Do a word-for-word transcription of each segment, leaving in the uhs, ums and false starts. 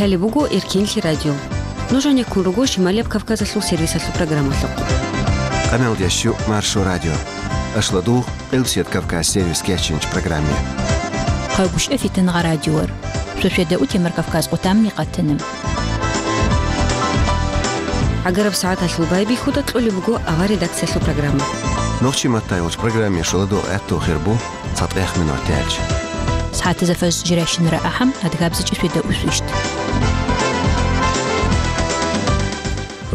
Лъалеб буго Эркенлъи радио. Нуж гьанеккун руго Шималияб Кавказалъул сервисалъул программалъухъ. Къаналдящу Маршо радио. Ашладу Къилсият Кавказ сервис кечинч программе. Къайгушев Фитнагъа радиор. Шошведа утемар Кавказ къутамни къатана. ГӀагараб сагӀаталъул байбихьуда кьолеб буго авар редакциялъул программа. Нохчи маттайолч программе шуладу гӀатту хирбу цатӀех минут тяч. СагӀатаза фаз жиращинара ахӀам адгабзичӀи шведа усвищт.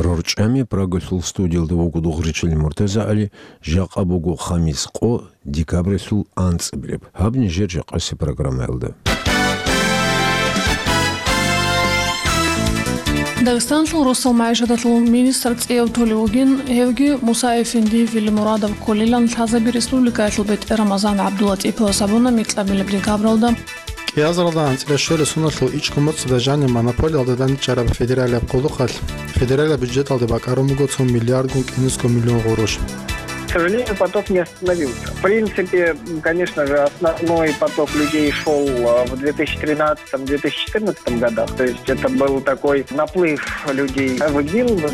РорчӀами Прагалъул студиялда вуго Дугъричил МуртазагӀали, жакъа буго хамис къо, декабралъул анцӀабилеб. Гьаб нижер жакъаси программаялда. Дагъистанлъул росал магӀишаталъул министр цӀеяв толев вугин, гьевги Муса-эфенди Вилимурадов кколилан лъазаби республикаялъул бетӀер Рамазан ГӀабдулатӀиповас абуна микьабилеб декабралда. КӀиазаралда анцӀила щвелеб соналъул ичӀго моцӀалда жаниб монополиялда данчӀараб федералияб къулухъалъ федералияб бюджеталде бакӀарун буго цо миллиардгун кӀинусго миллион гъурущ. К сожалению, поток не остановился. В принципе, конечно же, основной поток людей шёл, а, в две тысячи тринадцатом, две тысячи четырнадцатом годах. То есть это был такой наплыв людей в ИГИЛ.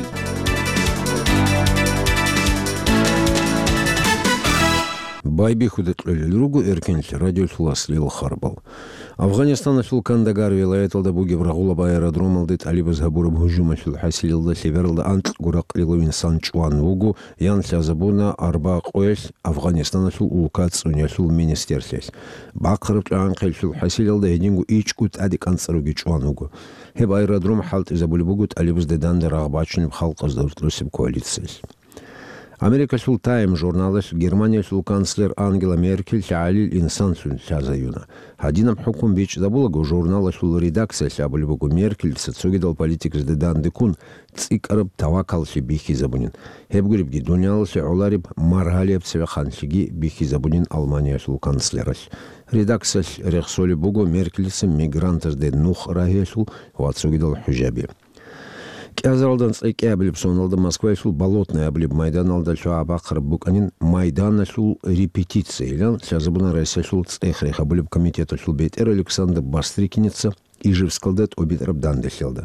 Байбихьуда кьолел руго Эркенлъи радиолъул аслияб харбал. Афгъанистаналъул Кандагар вилаяталда бугеб рагъулаб аэродромалде тӀалибаз гьабураб гьужумалъул хӀасилалда лъебералда анкьго ракълилав инсан чӀван вуго, ян лъазабуна арба къоялъ Афгъанистаналъул улка цӀуниялъул министрлъиялъ. Бахъараб тӀагӀан-хъеллъул хӀасилалда гьединго ичӀго тӀаде кӀанцӀаруги чӀван вуго. Гьеб аэродром хӀалтӀизабулеб буго тӀалибазда данде рагъ бачунеб халкъазда росулъ коалициялъ. Америкалъул Time журналалъ Германиялъул канцлер Ангела Меркель гӀалил инсанлъун лъазаюна. Гьадинаб хӀукму бичӀчӀабулаго, журналалъул редакциялъ абулеб буго, Меркельца цогидал политикзда данде ккун цӀикӀкӀараб тавакаллъи бихьизабунин. Гьеб гуребги, дуниялалъе гӀолареб маргьалияб цевеханлъиги бихьизабунин Алманиялъул канцлералъ. Редакциялъ рехсолеб буго Меркельца мигрантазде нух рагьиялъул ва цогидал хӀужаби. КӀиазаралда анцӀила кӀиабилеб соналда Москваялъул Болотное абулеб майданалда лъугӀа-бахъараб букӀанин майданалъул репетициялъ лъазабуна Россиялъул цӀех рехабулеб комитеталъул бетӀер Александр Бастрыкиница Ижевскалда тӀобитӀараб данделъиялда.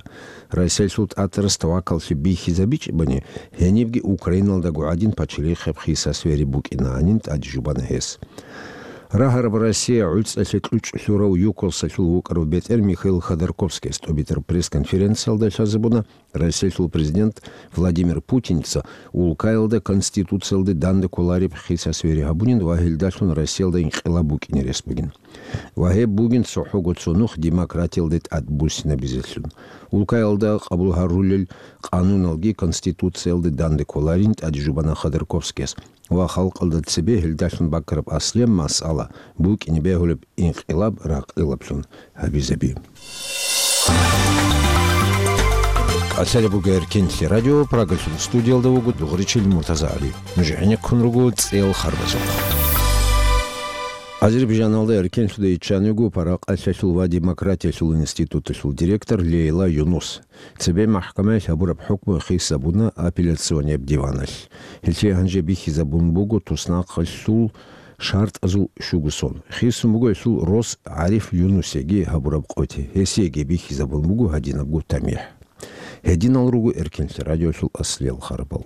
Россиялъул тӀатарас тавакаллъи бихьизабичӀебани, гьенибги Украиналдаго гӀадин пачалихъеб хиса-свери букӀинанин тӀаде жубана гьес. Рагьараб Россия гӀуцӀалъе кьучӀ лъурав ЮКОСалъул вукӀарав бетӀер Михаил Ходорковскияс тӀобитӀараб пресс-конференциялда лъазабуна, Россиялъул президент Владимир Путинца улкаялда Конституциялде данде кколареб хиса-свери гьабунин ва гьелдалъун Россиялда инкъилаб букӀине рес бугин. Ва гьеб бугин цохӀого цо нух демократиялде тӀадбуссинабизелъун. Улкаялда къабул гьарулел къануналги Конституциялде данде кколарин тӀаде жубана Ходорковскияс ва халкъалда цебе гьелдалъун бакӀараб аслияб масъала букӀине бегьулеб инкъилаб ракълилаблъун гьабизаби. Къалъалеб буго Эркенлъи радио, Прагалъул студиялда вуго Дугъричил МуртазагӀали. Нуж гӀенеккун руго цӀел харбазухъ. Азербайжаналда Эркенлъуда иччан вуго Паракъалъалъул ва демократиялъул институталъул директор Лейла Юнус. Цебе махӀкамаялъ гьабураб хӀукму хисабуна апелляционияб диваналъ. Гьелъие гьанже бихьизабун буго туснахъалъул шартӀазул щуго сон. Хисун буго гьелъул рос ГӀариф Юнусиеги гьабураб къоти. Гьесиеги бихьизабун буго гьадинабго тамихӀ. Гьединал руго Эркенлъи радиолъул аслиял харбал.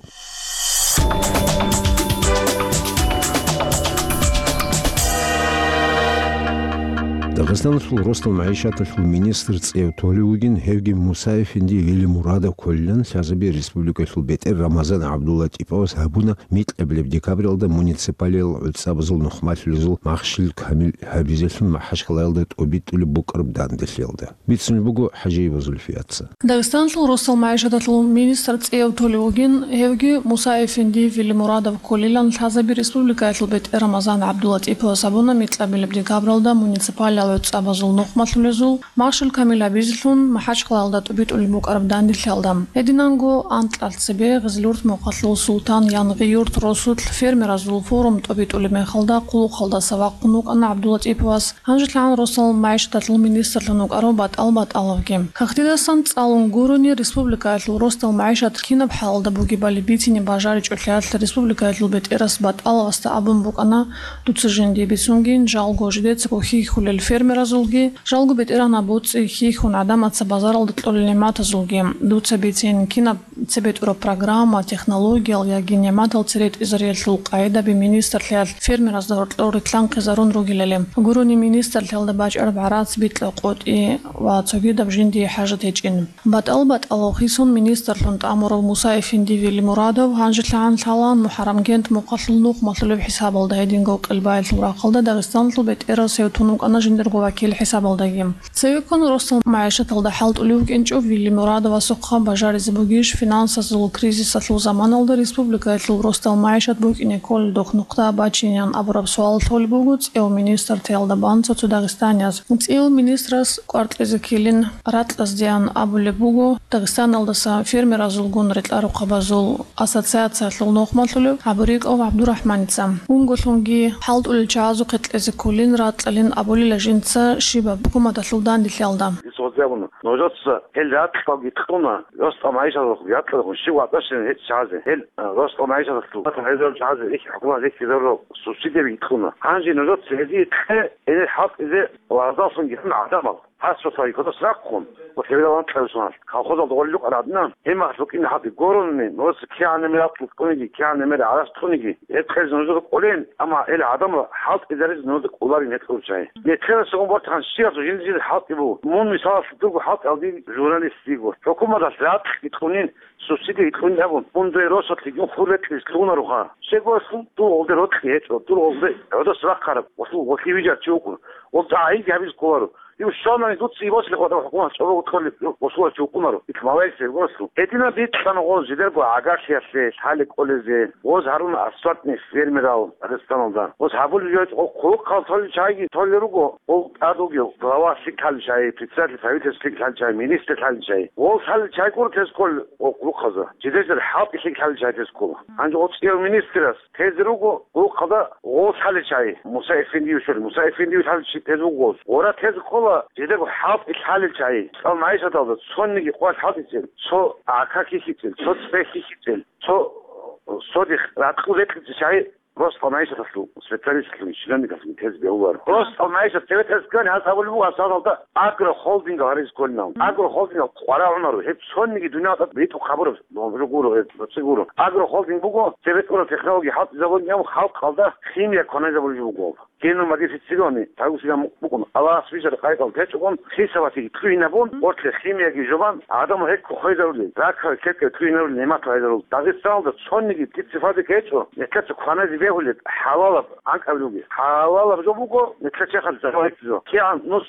Дагъистаналъул росдал магӀишаталъул министр цӀев толев вугин, гьевги Муса-эфенди Велимурадов кколилан лъазаби республикалъул бетӀер Рамазан ГӀабдуллатӀиповас гьабуна микьабилеб декабралда муниципалиял гӀуцӀабазул нухмалъулезул Махщел Камил гьабизелъун МахӀачхъалаялда тӀобитӀулеб букӀараб данделъиялда. Бицунеб буго ХӀажиева Зульфияца. Дагъистанлъул росал магӀишаталъул министр цӀияв толев вугин, гьевги Муса-эфенди Велимурадов кколилан лъазаби республикаялъул бетӀер Рамазан ГӀабдуллатӀиповас абуна микьабилеб декабралда муниципалиял гӀуцӀабазул нухмалъулезул Махщел Камил гьабизелъун МахӀачхъалаялда тӀубитӀулеб букӀараб данделъиялда. Гьединанго анкьалъ цебе Гъизлурт мухъалъул Султан Янгъи-Юрт росулъ фермеразул форум тӀубитӀулеб мехалда хъулухъалдаса вахъун вукӀана ГӀабдуллатӀиповас. ГьанжелъагӀан росал магӀишаталъул министрлъун вукӀарав БатӀал БатӀаловги. Кагътидасан цӀалун гурони, республикаялъул росдал магӀишат кинаб хӀалалда бугебали бицине бажаричӀолъиялъ республикаялъул бетӀерас БатӀаловасда абун букӀана, дуца жинди бицунгин, жалго жидеца кохи хьулел фермер фермеразулги, жалго бетӀергьанаб боцӀи хьихьун гӀадамаца базаралда кьолел нигӀматазулги. Дуца бицин, кинаб цебетӀураб программа, технологиял яги нигӀматал цере тӀизариялъул къагӀидаби министрлъиялъ фермеразда гьоркьор рилълъанхъизарун ругелали. Гурони министрлъиялда бачӀараб гӀарац, битӀа-къотӀи ва цогидаб жиндие хӀажат гьечӀин. БатӀал-батӀалав хисун министрлъун тӀамурав Муса-эфенди Велимурадов гьанжелъагӀан лъалаан МухӀаррамгент мухъалъул нухмалъулеб хӀисабалда, гьединго Къелбаялъул рахъалда Дагъистаналъул бетӀерасев тун вукӀана жиндирго вакил хӀисабалдаги. Цевеккун росдал магӀишаталда хӀалтӀулев вукӀинчӀев Велимурадовасухъа бажаризе бугищ финансазул кризисалъул заманалда республикаялъул росдал магӀишат букӀине кколел духъ нухда бачинеян абураб суал лъолеб буго цӀев министртиялда бан цо-цо дагъистанияз. ЦӀив министрас кӀвар кьезе ккелин ракьаздеян абулеб буго Дагъистаналдаса фермеразулгун рекьарухъабазул ассоциациялъул нухмалъулев ГӀабурикӀов ГӀабдурахӀманица. Унголъунги хӀалтӀулел чагӀазухъе кьезе кколин ракьалин абулила жинца щибаб хӀукуматалъул данделъиялда. Дица гъозе абуна, нужеца гьел ракьалги кьуна, росдал магӀишаталъул ракьалъун щив ватӀашин гьечӀ чагӀазе, гьел, э, росдал магӀишаталъул гьезул чагӀазе их хӀукумат рихьизарурал субсидияби кьуна. Гьанже нужеца гьезие кье, гьенир хӀалтӀизе лагъзаллъунги гьан гӀадамал. Гьас цо цаги кодос рахъун, ва хевирал анкьабилеб соналъ, колхозалда гъолел рукъана гӀадинан, гьеб мехалъ букӀине гьаб гурони, нужеца кигӀан мер ракьул кьуниги, кигӀан мер гӀарац кьуниги, гьеб кьезе нужеда кӀолин, амма гьел гӀадамал хӀалтӀизаризе нужеда кӀоларин гьечӀо чагӀи. Нилъеда цо бортан щиясул жинди-жинди хӀалтӀи буго. Мун, мисалалъе, дурго хӀалтӀи гьабизе журналист йиго. ХӀукуматалъ ракьги кьунин, субсидияги кьунин абун, мун дуе росулъ йигин хур рекьизе лъугьунароха. Щего гьелъул дур гъолде рокьи гьечӀо, дур гъолде гӀодос рахъараб, гъолъул гъолъие вижарав чи вукӀун. Гъолда гӀайибги гьабизе кколаро. Ив щванани дуца йибасилъи хватӀа хӀукумат чӀобого кьолеб, босуларчи вукӀунаро. Ил малаикзаб гъорлъу. Гьединаб бикьана гъоз жидерго гӀагарлъиялъе лъалеб кӀолезе. Гъоз гьаруна асфальтный фермерал Дагъистаналда. Гъоз гьабулеб жо гъо-, хъулухъал толел чагӀиги толел руго, гъол тӀад вугев глава лъикӀ лъалел чагӀи, председатель правительства лъикӀ лъалел чагӀи, министр лъалел чагӀи. Гъол лъалел чагӀи гуро тез ккол гъо-, хъулухъазда. Жидер хӀалтӀи лъикӀ лъалел чагӀи тез ккола. Гьанже гъо цӀияв министрас тезе руго гъулухъалда гъол лъалел чагӀи, Муса-эфендиев щолел, Муса-эфендиев лъалел чи тезе вуго гъоз. Гъора тезе ккола жидерго хӀалтӀи лъалел чагӀи. Цо магӀишаталда цониги къоялъ хӀалтӀичӀел, цо гӀака хьихьичӀел, цо цӀе хьихьичӀел, цо содихъ ракьул рекьичӀел чагӀи росдал магӀишаталъул специалистлъун, чиновникалъун тезе бегьуларо. Росдал магӀишат цеве тӀасган гьаз абулеб буго, асфальталда агрохолдингал гьаризе кколин абун. Агрохолдингал къварагӀунаро, гьеб цониги дуниялда битӀухъ гьабураб жо гуро, гьеб цо цӀи гуро. Агрохолдинг буго, цебетӀура технология хӀалтӀизабулин абун, халкъалда химия кваназабулеб жо буго. Генномодифицированный, тавусилан букӀун, Аллагьас бижараб къайдал гьечӀогун, хисабалъги кьугьинабун, гъорлъе химияги жубан, гӀадамал гьекко хвезарулел, ракаби кепкев кьугьинарулел нигӀмат гьайзарул. Дагъистаналда цониги дица цебе гьечӀо, нилъеца кваназе бегьулеб хӀалалаб анкьабилебги. ХӀалалаб жо буго, нилъер черхалъ зарал гьечӀо. КигӀан нус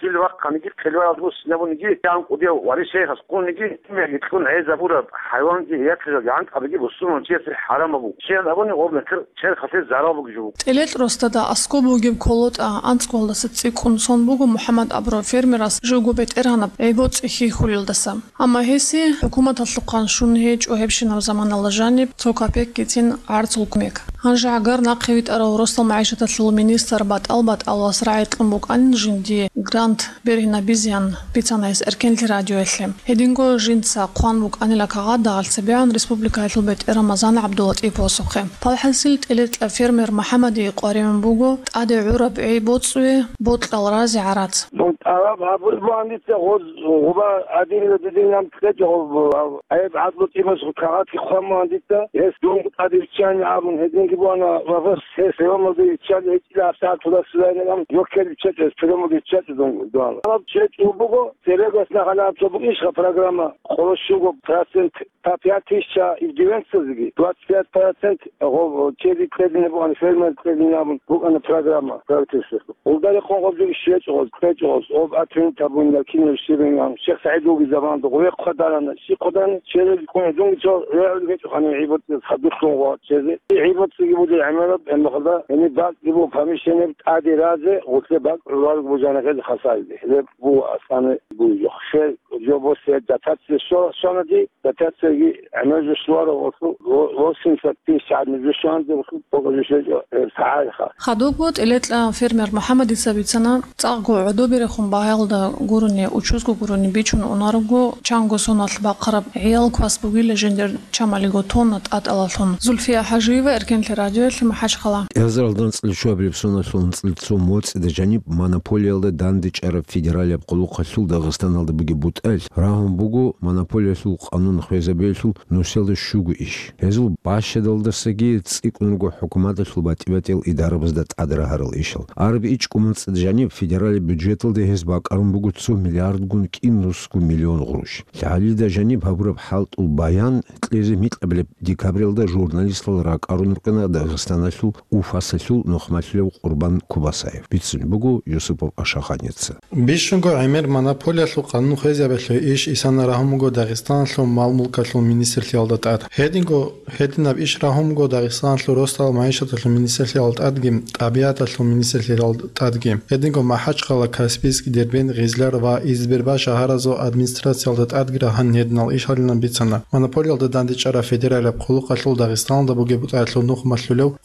Сил вахъаниги, хъилбаялда буссинабуниги, кигӀан кӀудияв варишайихъас ккуниги, химияги кьун гӀезабураб хӀайванги яхъизарги анкьабиги бусурман чиясе хӀарамаб буго. Щайин абуни гъоб нилъер черхалъе зарал бугеб жо буго. ТӀелетӀ росдада аскӀоб бугеб КолотӀа анцӀгоялдаса цӀикӀкӀун сон буго МухӀаммад абурав фермерас живго бетӀергьанаб гӀи-боцӀи хьихьулелдаса. Амма гьесие хӀукуматалъухъан щун гьечӀо гьебщинаб заманалда жаниб цо капекгицин гӀарцул кумек. Гьанже гӀагар нахъе витӀарав росдал магӀишаталъул министр батӀал-батӀалас рагӀи кьун букӀанин жиндие грант бергьинабизеян бицана гьес Эркенлъи радиоялъе. Гьединго жинца хъван букӀанила кагъат дагъалъ цебегӀан республикаялъул бетӀер Рамазан ГӀабдуллатӀиповасухъе. ПалхӀасил тӀелетӀа фермер МухӀаммадие къваригӀун буго тӀаде гӀураб гӀи-боцӀуе бокьарал рази гӀарац. Дун тӀалаб гьабулеб бугоница гъоз гъуба гӀадинила дидинаб кьечӀо гъоб гьаб гӀайиб гӀадлу тӀимас кагъатги хъван бугоница, гьес дун тӀаде виччани абун гьединги бугана ва гьес, гьес приёмалде виччали гьечӀила гьабсагӀат гьудасизайилан, жокер виччачӀо гьес, приёмалде виччачӀо дун дугьал. Гьаб чечӀо буго, церегас нахъа гьаб цо бугищха программа, къоло щуго процент По пять тысяч иждивенцазеги, двадцать пять процент гъо-, чеди кьедине бугӀан, фермер кьедине абун букӀана программа правительствоялъул. Гъолда рекъон гъобги щвечӀо гъоз, кьечӀо гъоз, гъоб отменить гьабунила кинаб щибин ам, Шихсагьид вугеб заманалда гъовехъ хъвадарана, щи хъвадарана, череги ккуна, дунги цо регӀули гьечӀо ханив гӀибоцӀиялъ хадурлъун гъо чезе. ГӀибоцӀиги буго гӀемераб, гьебмехалда гьениб бакӀги буго помещение тӀаде разе, гъутлъе бакӀ гӀурал бугеб жанахъезе хасаризе. Гьеб буго аслане бугеб жо. Хер жо босизе дотация щвала, щванади, дотацияги гӀемер жо щварав гъорлъу, восемьдесят тысяч гӀадин жо щванзе гъорлъу, бокьа жо щвечӀо, гьеб сагӀайха. Хадубго тӀелетӀа фермер МухӀаммадица бицана, цӀакъго гӀодоберехун багьаялда гурони, учузго гурони бичун унарого, чанго соналъ бахъараб гӀиял квас бугила жиндир чамалиго тонна тӀатӀалалъун. Зульфия ХӀажиева, Эркенлъи Радиоялъе МахӀачхъала. КӀиазаралда анцӀила щуабилеб соналъул анцӀила цо моцӀида жаниб монополиялда дандечӀараб федералияб къулухъалъул Дагъистаналда бугеб бутӀаялъ рагьун буго монополиялъул къанун хвезабиялъул нусиялда щуго иш. Гьезул бащадалдасаги цӀикӀкӀун руго хӀукуматалъул батӀи-батӀиял идарабазда тӀад рагьарал ишал. Араб ичӀго моцӀида жаниб федералияб бюджеталда гьез бакӀарун буго цо миллиардгун кӀинусго миллион гъурущ. ЛъагӀалида жаниб гьабураб хӀалтӀул баян кьезе микьабилеб декабралда журналистал ракӀарун рукӀана Дагъистаналъул Уфасалъул нухмалъулев Къурбан Кубасаев. Бицун буго Юсупов Ашаханица. Бищунго гӀемер монополиялъул къанун хвезабиялъул иш исана рагьун буго Дагъистаналъул мал-мулкалъул министрлъиялда тӀад. Гьединго, гьединаб иш рагьун буго Дагъистаналъул росдал магӀишаталъул министрлъиялда тӀадги, тӀабигӀаталъул министрлъиялда тӀадги. Гьединго МахӀачхъала, Каспийск, Дербент, Гъизлар ва Избербаш шагьаразул администрациялда тӀадги рагьун гьединал иш гьарилан бицана монополиялда дандечӀараб федералияб къулухъалъул Дагъистаналда бугеб бутӀаялъул нухмалъулев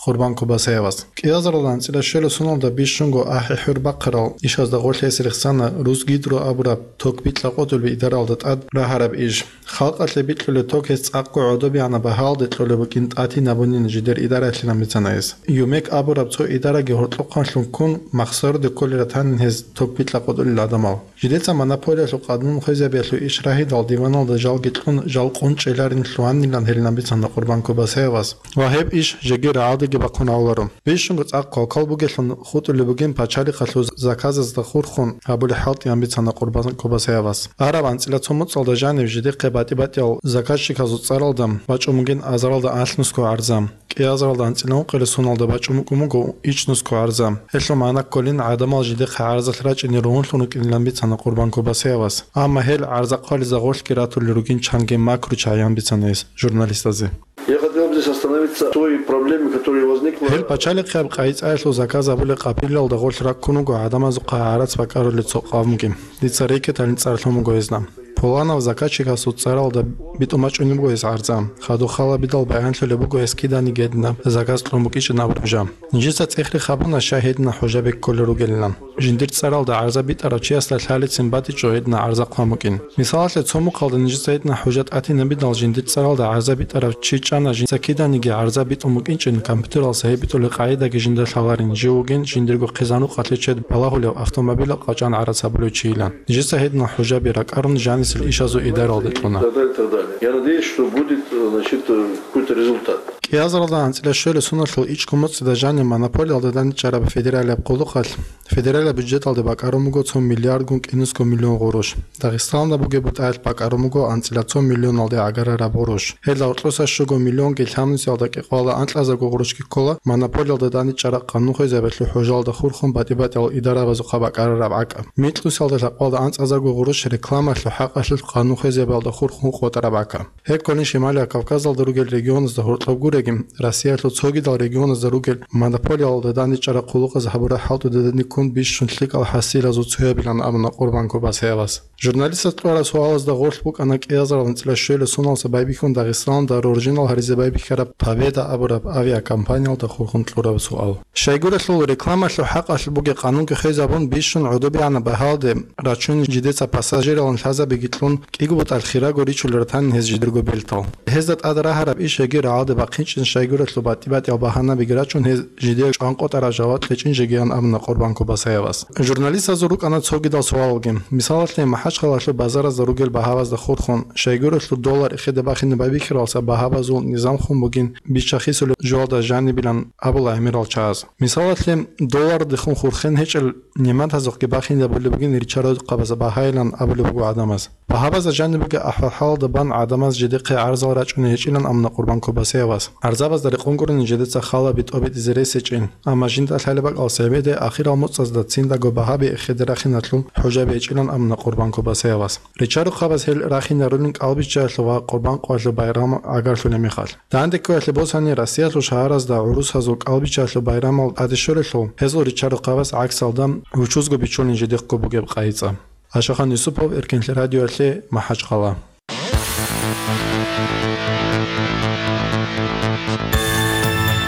Къурбан Кубасаевас. КӀиазаралда анцӀила щуабилеб соналда бищунго ахӀи-хӀур бахъарал ишазда гъорлъ гьес рехсана Русгидро абураб ток бикьа-къотӀулеб идаралда тӀад рагьараб иш. Халкъалъе бикьулеб ток гьес цӀакъго гӀодобегӀанаб багьалде кьолеб букӀин тӀатинабунин жидер идараялъилан бицана гьес. ЮМЭК абураб цо идараги гьоркьохъанлъун ккун, махсаруде кколел ратанин гьез ток бикьа-къотӀулел гӀадамал. Жидеца монополиялъул къанун хвезабиялъул иш рагьидал диваналда жалги кьун, жал къунчӀеларин лъугьанилан гьарилан бицана Къурбан Кубасаевас ва гьеб иш жеги рагӀалдеги бахъун гьавуларо. Бищунго цӀакъ квалквал бугелъун хутӀулеб бугин пачалихъалъул заказазда хурхун гьабулеб хӀалтӀиян бицана Къурбан Кубасаевас. Араб анцӀила цо моцӀалда жанив жидехъе батӀи-батӀиял заказчиказул цӀаралда бачӀун бугин азаралда анлънусго гӀарза. КӀиазаралда анцӀила ункъилеб соналда бачӀун букӀун буго ичӀнусго гӀарза. Гьелъул магӀна кколин гӀадамал жидехъе гӀарзалъ рачӀине ругьунлъун рукӀинилан бицана Къурбан Кубасаевас. Амма гьел гӀарза хъвализе гъорлъги ратулел ругин чанги макру чагӀиян бицана гьес журналистазе. Я хотел бы здесь остановиться на той проблеме, которая возникла. Гьел пачалихъияб къайи-цӀаялъул заказ гьабулеб къапарилалда гъорлъ раккун вуго гӀадамазухъа гӀарац бакӀарулел цо къавмги. Дица рекеталин цӀар лъун буго гьезда. Пуланав заказчикасул цӀаралда битӀун бачӀунеб буго гьес гӀарза. Хадуб халабидал баянлъулеб буго гьес киданиги гьединаб заказ кьун букӀинчӀин абураб жо. Нижеца цӀехги хабуна, щай гьединаб хӀужаби кколел ругелилан. Жиндир цӀаралда гӀарза битӀарав чиясда лъалецин батичӀо гьединаб гӀарза хъван букӀин. Мисалалъе, цо мухъалда нижеца гьединаб хӀужа тӀатинабидал жиндир цӀаралда гӀарза битӀарав чи чӀана, жинца киданиги гӀарза битӀун букӀинчӀин, компьютералдаса гьеб битӀулеб къагӀидаги жинда лъаларин, жив вугин жиндирго хъизан-рукъалъе чед балагьулев автомобилал къачӀан гӀарац гьабулев чийилан. Нижеца гьединал хӀужаби ракӀарун жанисел ишазул идаралде кьуна. И так далее, и так далее. Я надеюсь, что будет, э, значит, э, какой-то результат. КӀиазаралда анцӀила щуабилеб соналъул ичӀго моцӀида жанив монополиялда дандечӀараб федералияб къулухъалъ федералияб бюджеталде бакӀарун буго цо миллиардгун кӀинусго миллион гъурущ. Дагъистаналда бугеб бутӀаялъ бакӀарун буго анцӀила цо миллионалде гӀагарараб гъурущ. Гьелда гьоркьоса щуго миллионги лъабнусиялда кӀикъоялда анкьазарго гъурущги ккола монополиялда дандечӀараб къанун хвезабиялъул хӀужалда хурхун батӀи-батӀиял идарабазухъа бакӀарараб гӀакӀаб. Микьнусиялда лъабкъоялда анцӀазарго гъурущ рекламалъул хӀакъалъулъ къанун хвезабиялда хурхун къотӀараб гӀакӀаб. Гьеб кколин Шималияб Кавказалда ругел регионазда гьоркьоб гуреги, Россиялъул цогидал регионазда ругел монополиялда дандечӀараб къулухъаз гьабураб хӀалтӀудедани ккун бищун лъикӀал хӀасилазул цоябилан абуна Къурбан Кубасаевас. Журналистас кьураб суалазда гъорлъ букӀана кӀиазарал анцӀила щуабилеб соналдаса байбихьун Дагъистаналда роржинал гьаризе байбихьараб Победа абураб авиакомпаниялда хурхун кьураб суал. Щайгурелъул рекламалъул хӀакъалъулъ бугеб къанунги хвезабун, бищун гӀодобегӀанаб багьалде рачун, жидеца пассажиралъун лъазабиги кьун, кӀиго бутӀа хирого ричулел ратанин гьез жидерго бертал. Гьезда тӀад рагьараб иш жеги рагӀалде бахъинчӀин, щайгурелъул батӀи-батӀиял багьанабиги рачун, гьез жидее чӀванкъотӀараб жаваб кьечӀин жегиян абуна Къурбан Кубасаевас. Журналистазул рукӀана цогидал суалалги. Мисалалъе, МахӀачхъалалъул базаразда ругел багьабазда хурхун, щайгурелъул доллар эхеде бахине байбихьаралдаса багьабазул низамлъун бугин биччахисулеб жоялда жанибилан абула гӀемерал чагӀаз. Мисалалъе, доллардехун хурхен гьечӀел нигӀматазухъги бахинабулеб бугин ричарухъабазда багьайилан абулеб буго гӀадамаз. Багьабазда жанибеги ахӀвал-хӀалалда бан гӀадамаз жидехъе гӀарзал рачӀуней гьечӀилан абуна Къурбан Кубасаевас. ГӀарзабазда рекъон гурони жидеца хала битӀоби-тӀизе ресечӀин, амма жинда лъалеб бакӀалдаса гьебеде ахирал моцӀазда циндаго багьаби эхеде рахиналъул хӀужаби гьечӀилан абуна Къурбан Кубасаевас. Ричарухъабаз гьел рахинарулин кӀалбиччаялъул ва Къурбан къоялъул байрам гӀагарлъулеб мехалъ. Дандеккоялъе босани, Россиялъул шагьаразда гӀурусазул кӀалбиччаялъул байрамал тӀаде щолелъул, гьезул ричарухъабаз гӀаксалда вучузго бичулин жидехъго бугеб къайи-цӀа. Ашахан Юсупов, Эркенлъи радиоялъе, МахӀачхъала.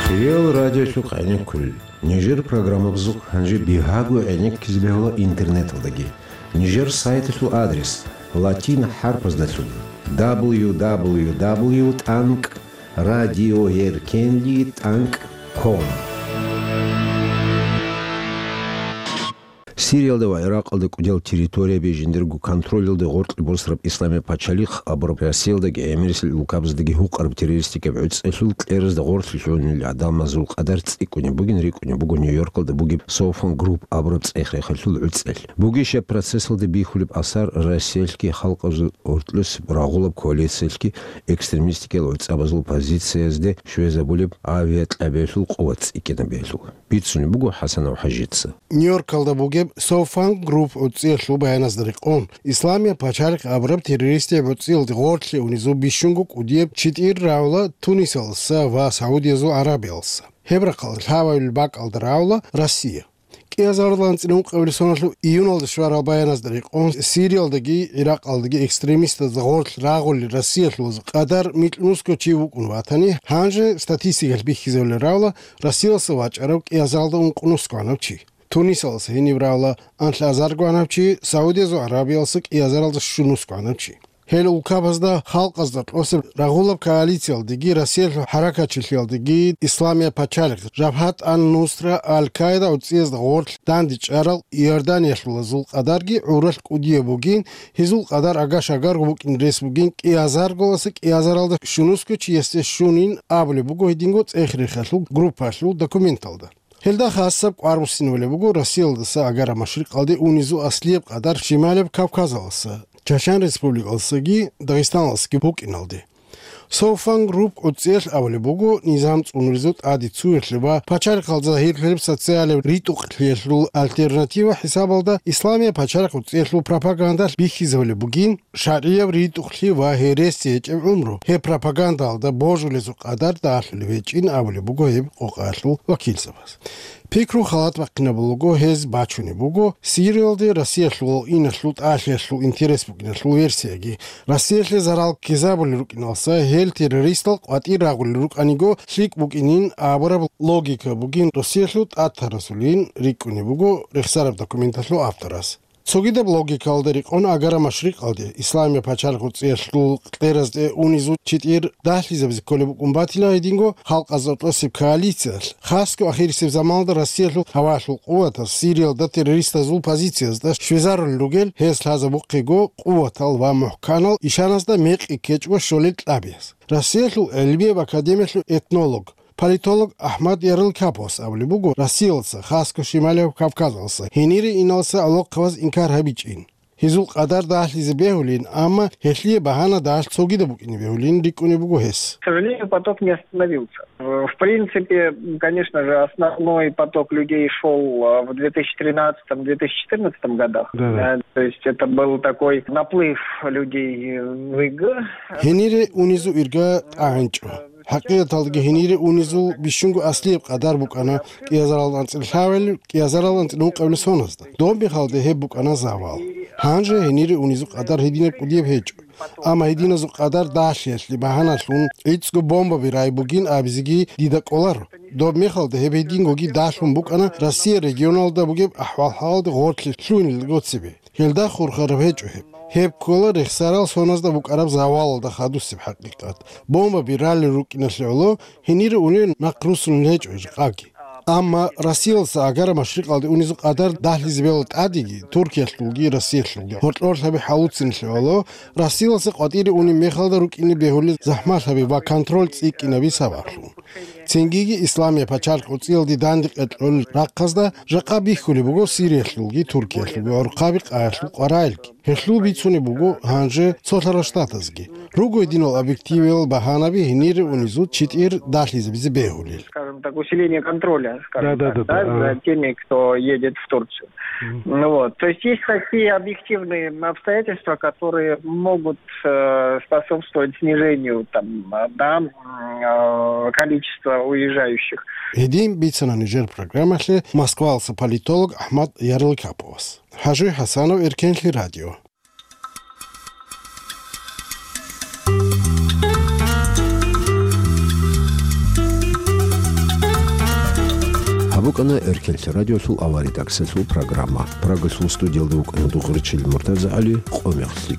Хириял радиолъухъ гӀенеккулел. Нижер программабазухъ гьанже бигьаго гӀенеккизе бегьула интернеталдаги. Нижер сайталъул адрес латин хӀарпаздалъун: дабл ю дабл ю дабл ю тӀанкӀ радиоэркенли тӀанкӀ Ком. Сириялда ва Иракъалда кӀудиял территорияби жиндирго контролалде гъоркье босараб Исламияб пачалихъ абураб Россиялдаги гӀемерисел улкабаздаги гьукъараб террористикаб гӀуцӀелъул кьеразда гъорлъе лъугьунел гӀадамазул къадар цӀикӀкӀунеб бугин рикӀкӀунеб буго Нью-Йоркалда бугеб Софан Групп абураб цӀех-рехалъул гӀуцӀел. Бугищ гьеб процессалда бихьулеб асар Россиялъги халкъазул гьоркьоса рагъулаб коалициялъги экстремистикал гӀуцӀабазул позициязде щвезабулеб авиакьабиялъул къуват цӀикӀкӀинабиялъул? Бицунеб буго ХӀасанов ХӀажица. Нью-Йоркалда бугеб Софан Групп гӀуцӀиялъул баяназда рекъон, Исламияб пачалихъ абураб террористияб гӀуцӀиялде гъорлъе унезул бищунго кӀудияб читӀир равла Тунисалдаса ва Саудиязул ГӀарабиялдаса. Гьеб рахъалда лъабабилеб бакӀалда равла Россия. КӀиазаралда анцӀила ункъабилеб соналъул июналда щварал баяназда рекъон, Сириялдаги Иракъалдаги экстремистазда гъорлъ рагъулел Россиялъулазул къадар микьнусго чи вукӀун ватани, гьанже статистикалъ бихьизабулеб равла Россиялдаса вачӀарав кӀиазаралда ункънусго гьанав чи. Тунисалдаса гьениб равла анлъазарго гьанав чи, Саудиязул ГӀарабиялдаса кӀиазаралда щунусго гьанав чи. Гьел улкабазда халкъазда кьосеб рагъулаб коалициялдеги Россиялъул хӀаракатчилъиялдеги Исламияб пачалихъ, Жабгьат ан-Нусра, Аль-Каида гӀуцӀиязда гъорлъ дандечӀарал Иорданиялъулазул къадарги гӀуралъ кӀудияб бугин, гьезул къадар агаш-агарго букӀин рес бугин, кӀиазарголаса кӀиазаралда щунусго чиясде щунин абулеб буго гьединго цӀех-рехалъул группаялъул документалда. Гьелда хасаб кӀвар буссинабулеб буго Россиялдаса Агара-Машрикъалде унезул аслияб къадар Шималияб Кавказалдаса, Чачан Республикалдасаги Дагъистаналдасаги букӀиналде. Софан Групп гӀуцӀиялъ абулеб буго, низам цӀунуризул тӀаде цуялъе ва пачалихъалда загьирлъулеб социалияб ритӀухълъиялъул альтернатива хӀисабалда Исламияб пачалихъ гӀуцӀиялъул пропагандалъ бихьизабулеб бугин, шаргӀияб ритӀухълъи ва гьересия гьечӀеб гӀумру, гьеб пропагандалда божулезул къадар дагьлъулеб гьечӀин абулеб буго гьеб къокъаялъул вакилзабаз. Пикру халат бахъинабулаго гьез бачунеб буго Сириялде Россиялъул иналъул тӀалъиялъул интерес букӀиналъул версияги. Россиялъе зарал ккезабулел рукӀиналдаса гьел террористал къватӀир рагъулел рукӀаниго лъикӀ букӀинин абураб логика бугин Россиялъул тӀад тарасулин рикӀкӀунеб буго рехсараб документалъул авторас. Цогидаб логикалда рекъон Агара-Машрикъалде, Исламияб пачалихъ гӀуцӀиялъул кьеразде унезул читӀир дагьлъизабизе кколеб букӀун батила гьединго халкъазда кьосеб коалициялъ, хасго ахирисеб заманалда Россиялъул гьаваялъул къуватаз Сириялда террористазул позициязда щвезарулел ругел, гьез лъазабухъего къуватал ва мухӀканал ишаназда мекъи ккечӀого щолел кьабияз. Россиялъул гӀелмияб академиялъул этнолог, политолог Ахмад Ярлыкаповас абулеб буго, Россиялдаса, хасго Шималияб Кавказалдаса, гьенире иналдаса гӀолохъабаз инкар гьабичӀин. Гьезул къадар дагьлъизе бегьулин, амма гьелъие багьана дагьлъ цогидаб букӀине бегьулин рикӀкӀунеб буго гьес. К сожалению, поток не остановился. Э, в принципе, конечно же, основной поток людей шёл, а, в две тысячи тринадцатом, две тысячи четырнадцатом годах. Да, да. Да, то есть это был такой наплыв людей, э, в ИГ. Гьенире унезул ирга тӀагӀинчӀо. ХӀакъикъаталдаги гьенире унезул бищунго аслияб къадар букӀана кӀиазарал анцӀила лъабабилеб, кӀиазарал анцӀила ункъабилеб соназда. Доб мехалда гьеб букӀана завал. Гьанже гьенире унезул къадар гьединаб кӀудияб гьечӀо. Амма гьединазул къадар дагьлъиялъе багьаналъун гӀицӀго бомбаби рай бугин абизеги дида кӀоларо. Доб мехалда гьеб гьедингоги дагьлъун букӀана Россия регионалда бугеб ахӀвал-хӀалалде гъорлъе лъугьинелдаго цебе. Гьелда хурхараб гьечӀо гьеб. Гьеб ккола рехсарал соназда букӀараб завалалда хадусеб хӀакъикъат. Бомбаби ралел рукӀиналъе гӀоло гьенире унел нахъ руссунел гьечӀо жакъаги. Амма Россиялдаса Агара-Машрикъалде унезул къадар дагьлъизе бегьула тӀадеги, Туркиялъулги Россиялъулги гьоркьорлъаби хӀалуцинлъи гӀоло, Россиялдаса къватӀире унеб мехалда рукӀине бегьулел захӀмалъаби ва контроль цӀикӀкӀинаби сабаблъун. Цингиги Исламияб пачалихъ гӀуцӀиялде дандекъе кьолел рахъазда жакъа бихьулеб буго Сириялъулги Туркиялъулги гӀурхъаби къаялъул къваригӀелги. Гьелъул бицунеб буго гьанже цолъарал штатазги. Руго гьединал объективиял багьанаби гьенире унезул читӀир дагьлъизабизе бегьулел. Скажем так, усиление контроля, скажем Да, да, так, да, да, да, ага. за теми, кто едет в Турцию. Мгм. Ну вот. То есть есть такие объективные обстоятельства, которые могут, э, способствовать снижению там, э, да, м, э, количества уезжающих. Гьедин бицана нижер программалъе Москвалса политолог Ахмад Ярлыкаповас. ХӀажи ХӀасанов, Эркенлъи радио. Гьаб букӀана Эркенлъи радиолъул авария таксалъул программа. Прагалъул студиялда вукӀана Дугъричил Муртаза ГӀали, къо мехлъи.